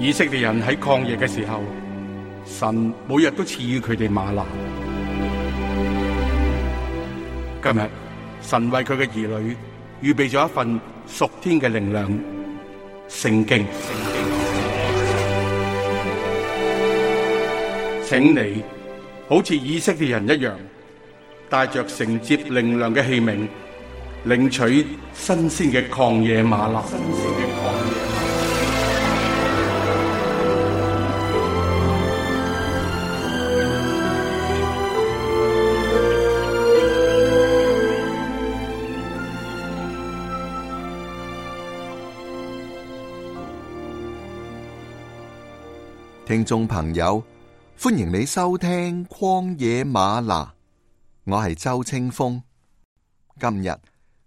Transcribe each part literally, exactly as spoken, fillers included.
以色列人喺曠野嘅時候，神每日都賜予佢哋嗎哪。今日神為佢嘅兒女預備咗一份屬天嘅靈糧——聖經。請你好似以色列人一樣，帶着承接靈糧嘅器皿，領取新鮮嘅曠野嗎哪。聽眾朋友，歡迎你收聽曠野嗎哪，我係周清風。今日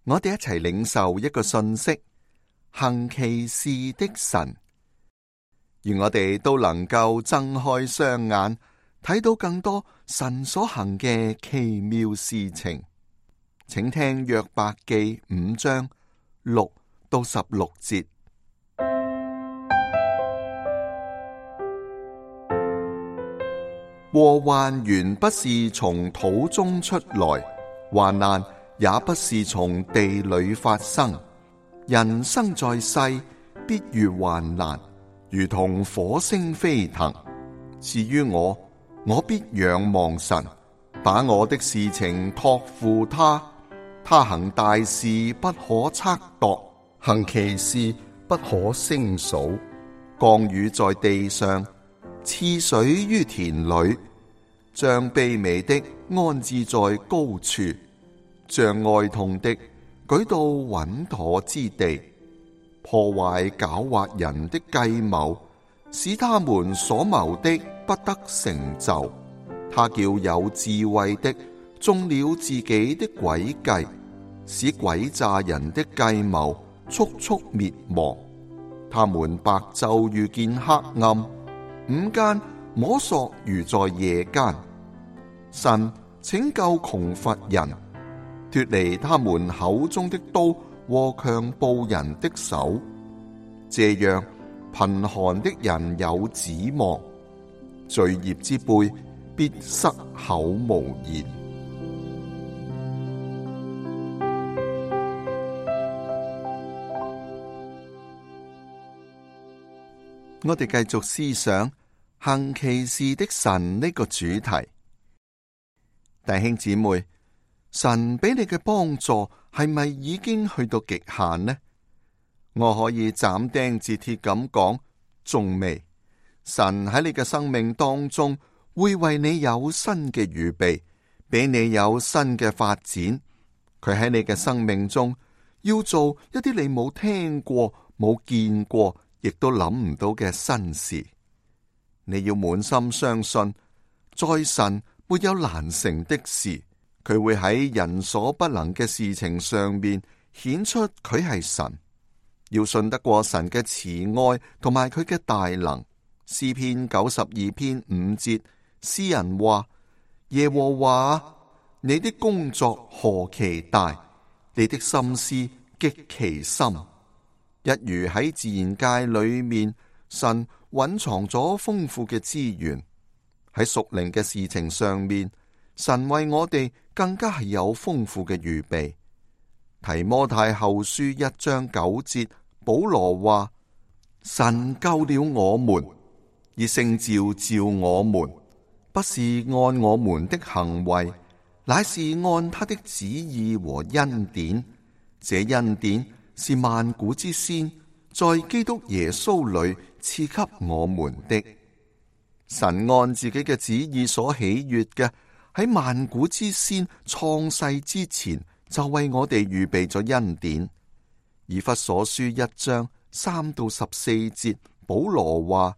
我哋一齊領受一個訊息：行奇事的神。願我哋都能夠睜開雙眼，睇到更多神所行嘅奇妙事情。請聽約伯記五章六到十六節。禍患原不是從土中出來，患難也不是從地裏發生。人生在世，必遇患難，如同火星飛騰。至於我，我必仰望神，把我的事情託付他。他行大事不可測度，行奇事不可勝數。降雨在地上，賜水於田裏，將卑微的安置在高處，將哀痛的舉到穩妥之地，破壞狡猾人的計謀，使他們所謀的不得成就。他叫有智慧的中了自己的詭計，使詭詐人的計謀速速滅亡。他們白晝遇見黑暗，午間摸索如在夜間。神拯救窮乏人，脫離他們口中的刀和強暴人的手。這樣貧寒的人有指望，罪孽之輩必塞口無言。我哋繼續思想行奇事的神呢個主題。弟兄姊妹，神俾你嘅幫助係咪已經去到極限呢？我可以斬釘截鐵咁講，仲未。神喺你嘅生命當中會為你有新嘅預備，俾你有新嘅發展。佢喺你嘅生命中要做一啲你冇聽過、冇見過，亦都諗唔到嘅新事。你要滿心相信，在神沒有難成的事，佢會喺人所不能嘅事情上面顯出佢係神。要信得過神嘅慈愛同埋佢嘅大能。詩篇九十二篇五節，詩人話：耶和華，你的工作何其大，你的心思極其深。一如喺自然界裏面，神蘊藏咗豐富嘅資源。喺屬靈嘅事情上面，神為我哋更加係有豐富嘅預備。提摩太後書一章九節，保羅話：神救了我們，以聖召召我們，不是按我們的行為，乃是按他的旨意和恩典。這恩典是萬古之先，在基督耶穌裏賜給我們的。神按自己嘅旨意所喜悅嘅，喺萬古之先創世之前就為我哋預備咗恩典。以弗所書一章三到十四節，保羅話：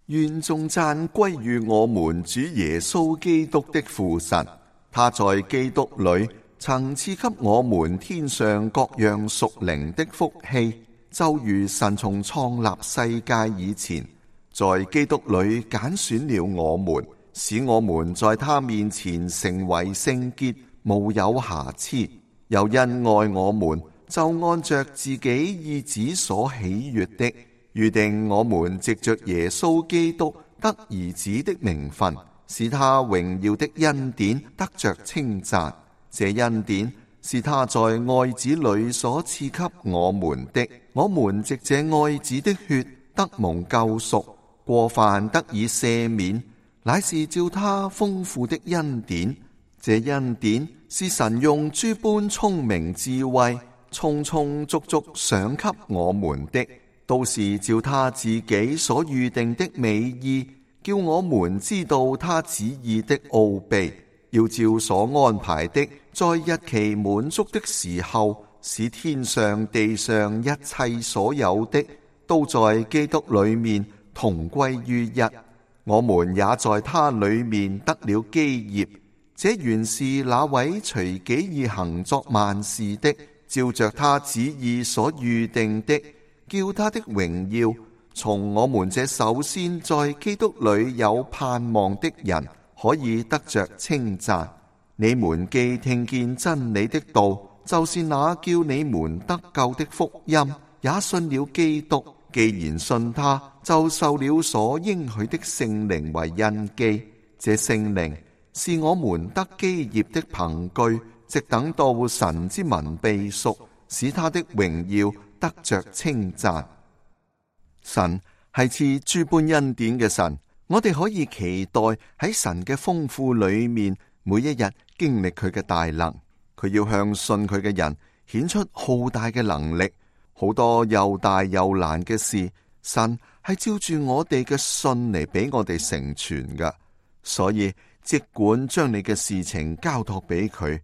願頌讚歸於我們主耶穌基督的父神，他在基督裏曾賜給我們天上各樣屬靈的福氣，就如神從創立世界以前，在基督裏揀選了我們，使我們在他面前成為聖潔，無有瑕疵。又因愛我們，就按着自己意旨所喜悅的，預定我們藉着耶穌基督得兒子的名分，使他榮耀的恩典得着稱讚。這恩典是他在愛子裏所賜給我們的。我們藉這愛子的血得蒙救贖，過犯得以赦免，乃是照他豐富的恩典。這恩典是神用諸般聰明智慧，充充足足賞給我們的，都是照他自己所預定的美意，叫我們知道他旨意的奧秘，要照所安排的，在日期滿足的時候，使天上地上一切所有的，都在基督裏面同歸於一。我們也在他裏面得了基業。這原是那位隨己意行作萬事的，照着他旨意所預定的，叫他的榮耀從我們這首先在基督裏有盼望的人可以得着稱讚。你們既聽見真理的道，就是那叫你們得救的福音，也信了基督。既然信他，就受了所應許的聖靈為印記。這聖靈是我們得基業的憑據，直等到神之民被贖，使他的榮耀得着稱讚。神係賜諸般恩典嘅神，我哋可以期待喺神嘅豐富裏面，每一日經歷佢嘅大能。佢要向信佢嘅人顯出浩大嘅能力，好多又大又難嘅事，神係照住我哋嘅信嚟俾我哋成全㗎。所以即管將你嘅事情交託俾佢，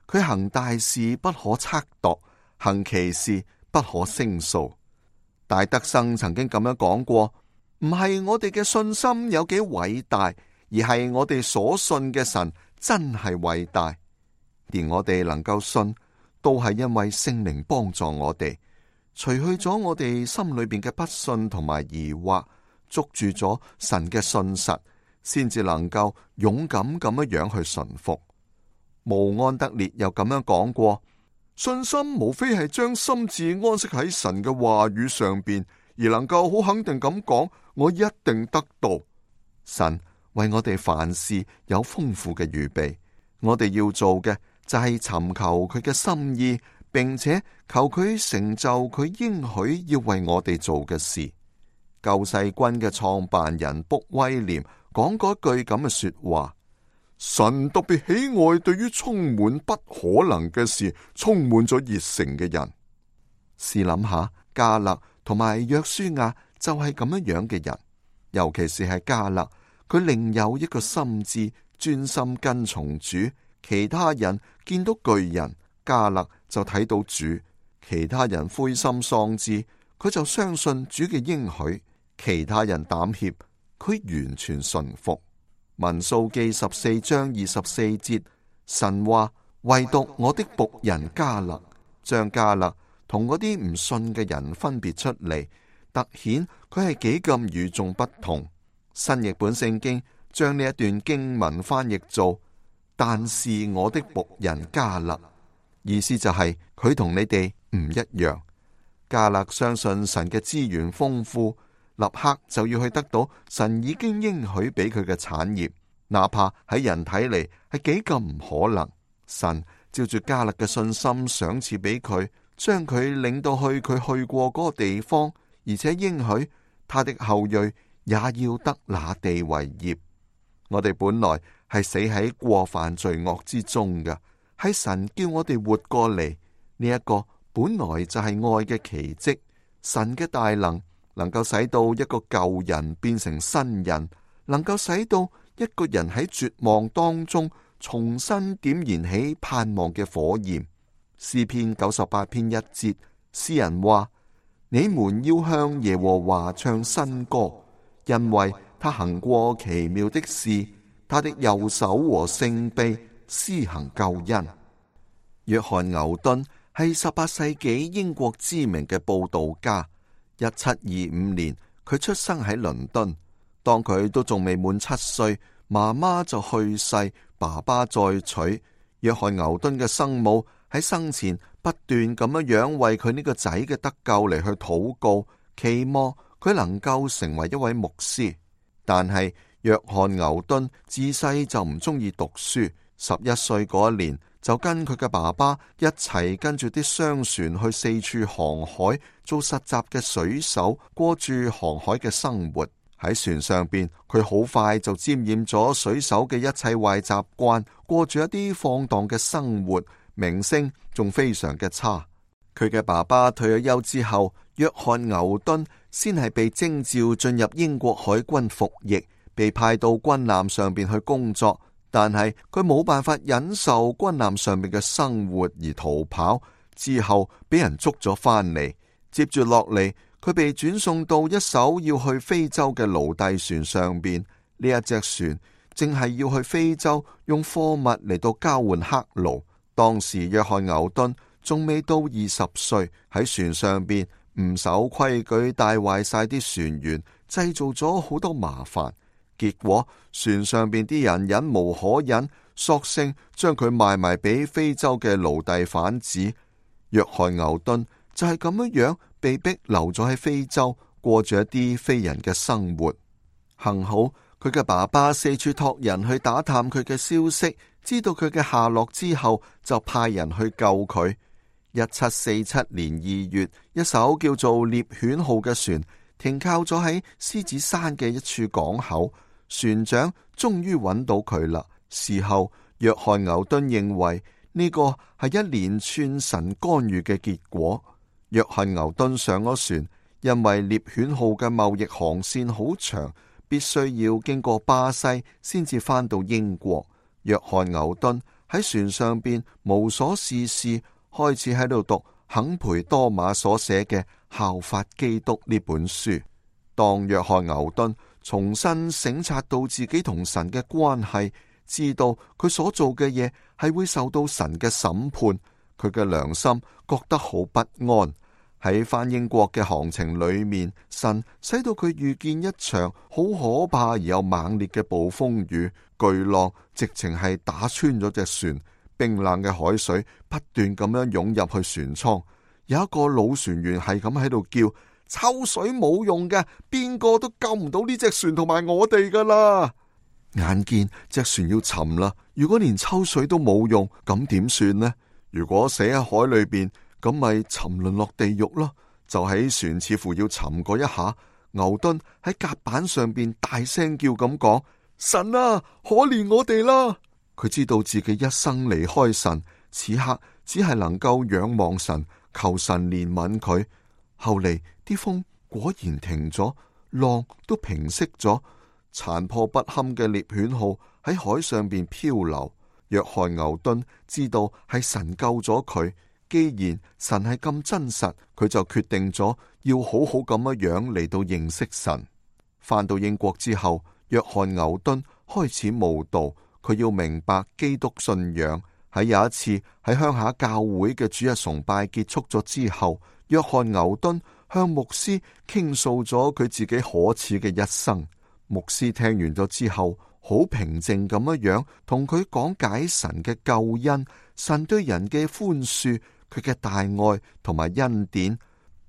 佢行大事不可測度，行奇事不可勝數。戴德生曾經咁樣講過，唔係我哋嘅信心有幾偉大，而係我哋所信嘅神真係偉大。連我哋能夠信，都係因為聖靈幫助我哋，除去咗我哋心裏邊嘅不信同埋疑惑，捉住咗神嘅信實，先至能夠勇敢咁樣樣去順服。慕安德烈又咁樣講過，信心無非係將心志安息喺神嘅話語上邊，而能夠好肯定咁講，我一定得到。神為我哋凡事有豐富嘅預備，我哋要做嘅就係尋求佢嘅心意，並且求佢成就佢應許要為我哋做嘅事。救世軍嘅創辦人卜威廉講過一句咁嘅說話，神特別喜愛對於充滿不可能嘅事充滿咗熱誠嘅人。試諗下，迦勒同埋約書亞就係咁樣樣嘅人，尤其是係迦勒，佢另有一個心志，專心跟從主。其他人見到巨人，迦勒就睇到主；其他人灰心喪志，佢就相信主嘅應許；其他人膽怯，佢完全順服。民數記十四章二十四節，神話唯獨我的僕人迦勒，將迦勒同嗰啲唔信嘅人分別出嚟，凸顯佢係幾咁與眾不同。新譯本聖經將呢一段經文翻譯做，但是我的僕人迦勒，意思就係佢同你哋唔一樣。迦勒相信神嘅資源豐富，立刻就要去得到神已經應許俾佢嘅產業，哪怕喺人睇嚟係幾咁唔可能。神照住迦勒嘅信心賞賜俾佢，將佢領到去佢去過嗰個地方，而且應許他的後裔也要得那地為業。我哋本來係死喺過犯罪惡之中嘅，係神叫我哋活過嚟。呢一個本來就係愛嘅奇蹟，神嘅大能能夠使到一個舊人變成新人，能夠使到一個人喺絕望當中重新點燃起盼望嘅火焰。詩篇九十八篇一節，詩人話：你們要向耶和華唱新歌，因為他行過奇妙的事，他的右手和聖臂施行救恩。約翰牛頓係十八世紀英國知名嘅佈道家。一七二五年，佢出生喺倫敦。當佢都仲未滿七歲，媽媽就去世，爸爸再娶。約翰牛頓嘅生母喺生前不斷咁樣樣為佢呢個仔嘅得救嚟去禱告，期望佢能夠成為一位牧師。但係約翰牛頓自細就唔中意讀書，十一歲嗰一年就跟佢嘅爸爸一齊跟住啲商船去四處航海，做實習嘅水手，過住航海嘅生活。喺船上邊，佢好快就沾染咗水手嘅一切壞習慣，過住一啲放蕩嘅生活，名聲仲非常嘅差。佢嘅爸爸退咗休之後，約翰牛頓先係被徵召進入英國海軍服役，被派到軍艦上邊去工作。但係佢冇辦法忍受軍艦上面嘅生活而逃跑，之後俾人捉咗翻嚟。接住落嚟，佢被轉送到一艘要去非洲嘅奴隸船上邊。呢一隻船正係要去非洲用貨物嚟到交換黑奴。當時約翰牛頓仲未到二十歲，喺船上邊唔守規矩，帶壞晒啲船員，製造咗好多麻煩。結果船上邊啲人忍無可忍，索性將佢賣埋俾非洲嘅奴隸販子。約翰牛頓就係咁樣樣被逼留咗喺非洲，過住一啲非人嘅生活。幸好佢嘅爸爸四處託人去打探佢嘅消息，知道佢嘅下落之後，就派人去救佢。一七四七年二月，一艘叫做獵犬號嘅船停靠咗喺獅子山嘅一處港口。船長終於揾到佢啦。事後，約翰牛頓認為呢個係一連串神干預嘅結果。約翰牛頓上咗船，因為獵犬號嘅貿易航線好長，必須要經過巴西先至返到英國。約翰牛頓喺船上邊無所事事，開始喺度讀肯培多馬所寫嘅《效法基督》呢本書。當約翰牛頓重新省察到自己同神嘅關係，知道佢所做嘅嘢係會受到神嘅審判，佢嘅良心覺得好不安。喺返英國嘅航程裏面，神使到佢遇見一場好可怕而又猛烈嘅暴風雨，巨浪直情係打穿咗隻船，冰冷嘅海水不斷咁樣湧入去船艙。有一個老船員係咁喺度叫：抽水冇用嘅，邊個都救唔到呢隻船同埋我哋噶啦！眼見隻船要沉啦，如果連抽水都冇用，咁點算呢？如果死喺海裏邊，咁咪沉淪落地獄咯。就喺船似乎要沉嗰一下，牛頓喺甲板上邊大聲叫咁講：神啊，可憐我哋啦！佢知道自己一生離開神，此刻只係能夠仰望神，求神憐憫佢。後嚟啲風果然停咗，浪都平息咗，殘破不堪嘅獵犬號喺海上邊漂流。約翰牛頓知道係神救咗佢，既然神係咁真實，佢就決定咗要好好咁樣樣嚟到認識神。返到英國之後，約翰牛頓開始慕道，佢要明白基督信仰。喺有一次喺鄉下教會嘅主日崇拜結束咗之後，約翰牛頓向牧師傾訴咗佢自己可恥嘅一生。牧師聽完咗之後，好平靜咁樣樣同佢講解神嘅救恩，神對人嘅寬恕，佢嘅大愛同埋恩典。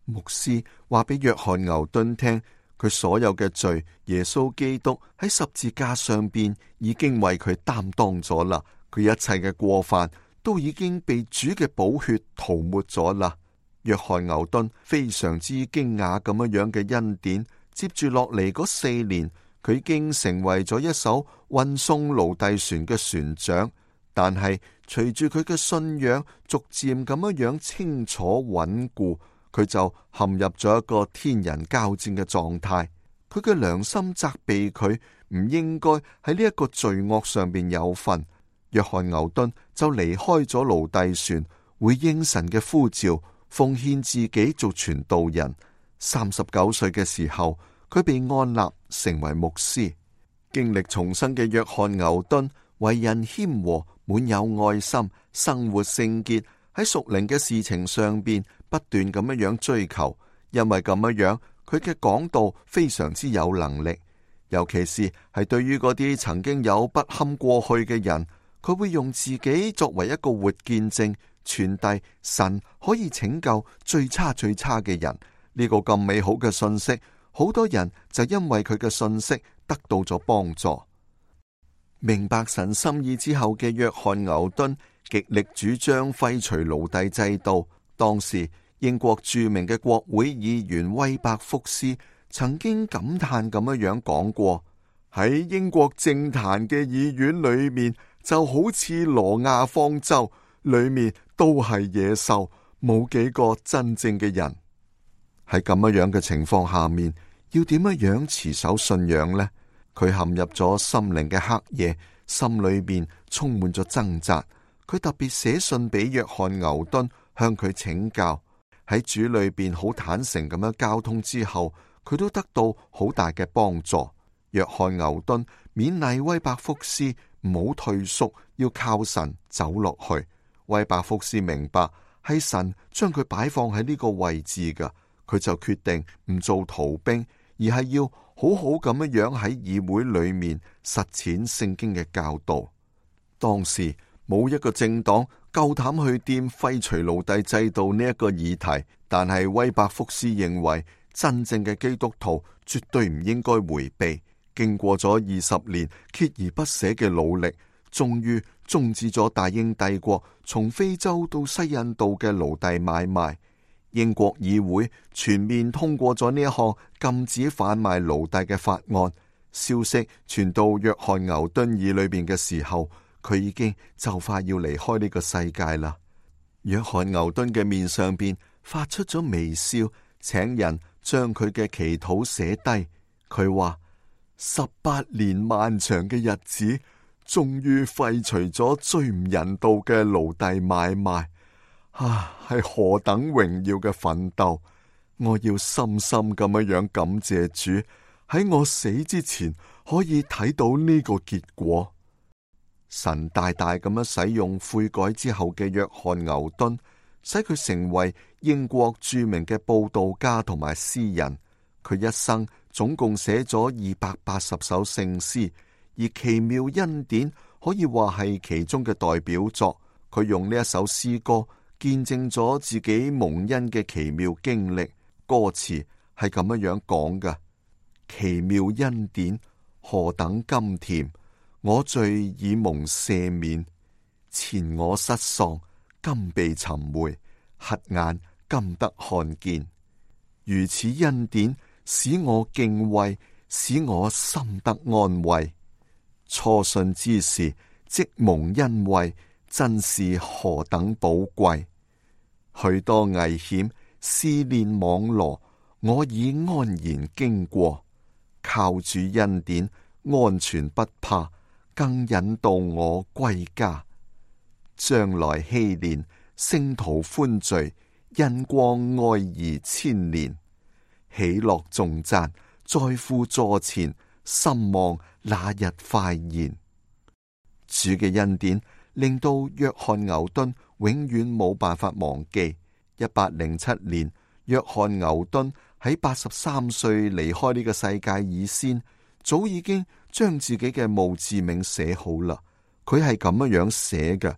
牧師話俾約翰牛頓聽，佢所有嘅罪，耶穌基督喺十字架上邊已經為佢擔當咗啦。佢一切嘅過犯都已經被主嘅寶血塗抹咗啦。約翰牛頓非常之驚訝咁樣樣嘅恩典。接住落嚟嗰四年，佢已經成為咗一艘運送奴隸船嘅船長。但係隨住佢嘅信仰逐漸咁樣樣清楚穩固，佢就陷入咗一個天人交戰嘅狀態。佢嘅良心責備佢唔應該喺呢一個罪惡上邊有份。約翰牛頓就離開咗奴隸船，回應神嘅呼召，奉獻自己做傳道人。三十九歲嘅時候，佢被按立成為牧師。經歷重生嘅約翰牛頓，為人謙和，滿有愛心，生活聖潔，喺屬靈嘅事情上邊不斷咁樣樣追求。因為咁樣樣，佢嘅講道非常之有能力，尤其是係對於嗰啲曾經有不堪過去嘅人。佢會用自己作為一個活見證，傳遞神可以拯救最差最差嘅人。呢個咁美好嘅信息，好多人就因為佢嘅信息得到咗幫助。明白神心意之後嘅約翰牛頓極力主張廢除奴隸制度。當時英國著名嘅國會議員威伯福斯曾經感嘆咁樣樣講過：喺英國政壇嘅議院裏面，就好似挪亞方舟，裏面都係野獸，冇幾個真正嘅人。喺咁樣樣嘅情況下面，要點樣樣持守信仰呢？佢陷入咗心靈嘅黑夜，心裏面充滿咗掙扎。佢特別寫信俾約翰牛頓，向佢請教。喺主裏邊好坦誠咁樣交通之後，佢都得到好大嘅幫助。約翰牛頓勉勵威伯福斯唔好退縮，要靠神走落去。威伯福斯明白係神將佢擺放喺呢個位置㗎，佢就決定唔做逃兵，而係要好好咁樣樣喺議會裏面實踐聖經嘅教導。當時冇一個政黨夠膽去掂廢除奴隸制度呢一個議題，但係威伯福斯認為真正嘅基督徒絕對唔應該回避。經過咗二十年鍥而不捨嘅努力，終於終止咗大英帝國從非洲到西印度嘅奴隸買賣。英國議會全面通過咗呢一項禁止販賣奴隸嘅法案。消息傳到約翰牛頓耳裏邊嘅時候，佢已經就快要離開呢個世界啦。約翰牛頓嘅面上邊發出咗微笑，請人將佢嘅祈禱寫低。佢話：十八年漫長嘅日子，終於廢除咗最唔人道嘅奴隸買賣。啊，係何等榮耀嘅奮鬥！我要深深咁樣樣感謝主，喺我死之前可以睇到呢個結果。神大大咁樣使用悔改之後嘅約翰牛頓，使佢成為英國著名嘅佈道家同埋詩人。佢一生總共寫咗二百八十首聖詩，而奇妙恩典可以話係其中嘅代表作。佢用呢一首詩歌見證咗自己蒙恩嘅奇妙經歷。歌詞係咁樣樣講嘅：奇妙恩典何等甘甜，我罪已蒙赦免，前我失喪，今被尋回，瞎眼今得看見。如此恩典使我敬畏，使我心得安慰。初信之時即蒙恩惠，真是何等寶貴。許多危險試煉網羅，我已安然經過，靠主恩典安全不怕，更引導我歸家。將來禧年，聖徒歡聚，恩光愛兒千年。喜樂頌讚在父座前，心望那日快現。主嘅恩典令到約翰牛頓永遠冇辦法忘記。一八零七年，約翰牛頓喺八十三歲離開呢個世界以先，早已經將自己嘅墓誌銘寫好啦。佢係咁樣樣寫嘅：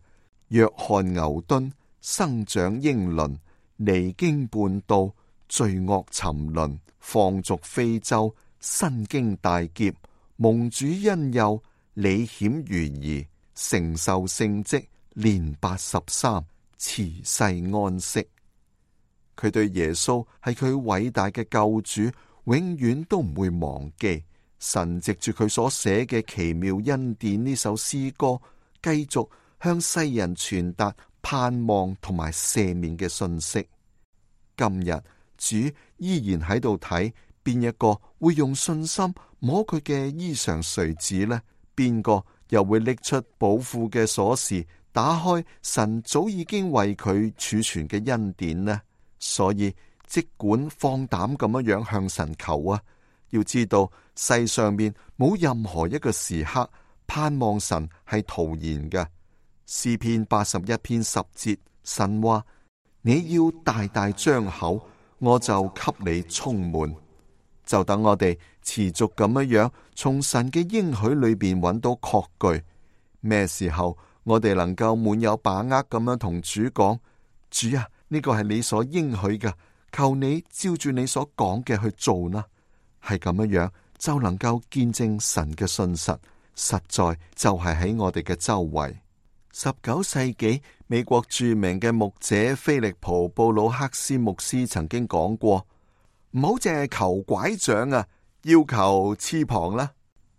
約翰牛頓生長英倫，離經叛道，罪惡沉淪，放逐非洲，身經大劫，蒙主恩佑，履險如夷，承受聖職，年八十三，辭世安息。佢對耶穌係佢偉大嘅救主，永遠都唔會忘記。神藉住佢所寫嘅奇妙恩典呢首詩歌，繼續向世人傳達盼望同埋赦免嘅信息。今日主依然喺度睇邊一個會用信心摸佢嘅衣裳垂子呢？邊個又會拎出寶庫嘅鎖匙，打開神早已經為佢儲存嘅恩典呢？所以即管放膽咁樣樣向神求啊！要知道世上面冇任何一個時刻盼望神係徒然嘅。詩篇八十一篇十節，神話：你要大大張口，我就給你充滿。就等我哋持續咁樣樣從神嘅應許裏邊揾到確據。咩時候我哋能夠滿有把握咁樣同主講：主啊，呢個係你所應許嘅，求你照住你所講嘅去做啦。係咁樣樣就能夠見證神嘅信實，實在就係喺我哋嘅周圍。十九世紀美國著名嘅牧者菲利普布魯克斯牧師曾經講過：唔好淨係求拐杖啊，要求翅膀啦。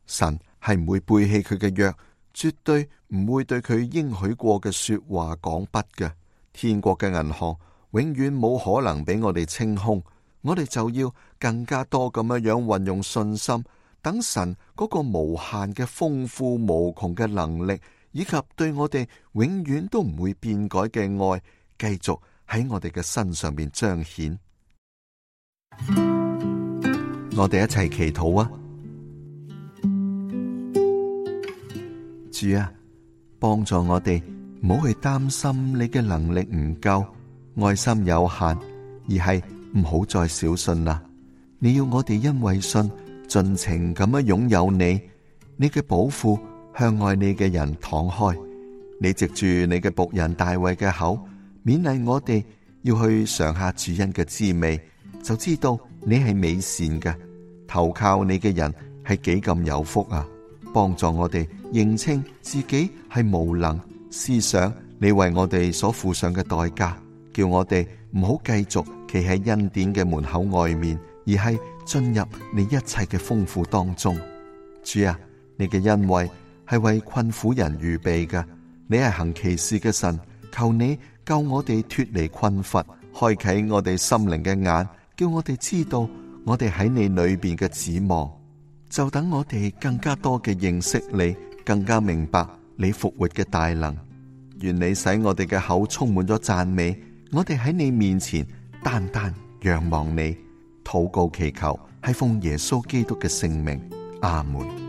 神係唔會背棄佢嘅約，絕對唔會對佢應許過嘅說話講不嘅。天國嘅銀行永遠冇可能俾我哋清空，我哋就要更加多咁樣樣運用信心，等神嗰個無限嘅豐富無窮嘅能力，以及對我哋永遠都唔會變改嘅愛，繼續喺我哋嘅身上面彰顯。我哋一齊祈禱啊！主啊，幫助我哋唔好去擔心你嘅能力唔夠，愛心有限，而係唔好再小信啦。你要我哋因為信，盡情咁樣擁有你，你嘅寶庫向愛你嘅人敞開。你藉住你嘅僕人大衛嘅口，勉勵我哋要去嘗下主恩嘅滋味，就知道你係美善嘅。投靠你嘅人係幾咁有福啊！幫助我哋認清自己係無能，思想你為我哋所付上嘅代價，叫我哋唔好繼續企喺恩典嘅門口外面，而係進入你一切嘅豐富當中。主啊，你嘅恩惠係為困苦人預備嘅，你係行奇事嘅神，求你救我哋脫離困乏，開啟我哋心靈嘅眼，叫我哋知道我哋喺你裏邊嘅指望。就等我哋更加多嘅認識你，更加明白你復活嘅大能。願你使我哋嘅口充滿咗讚美，我哋喺你面前單單仰望你。禱告祈求係奉耶穌基督嘅聖名，阿門。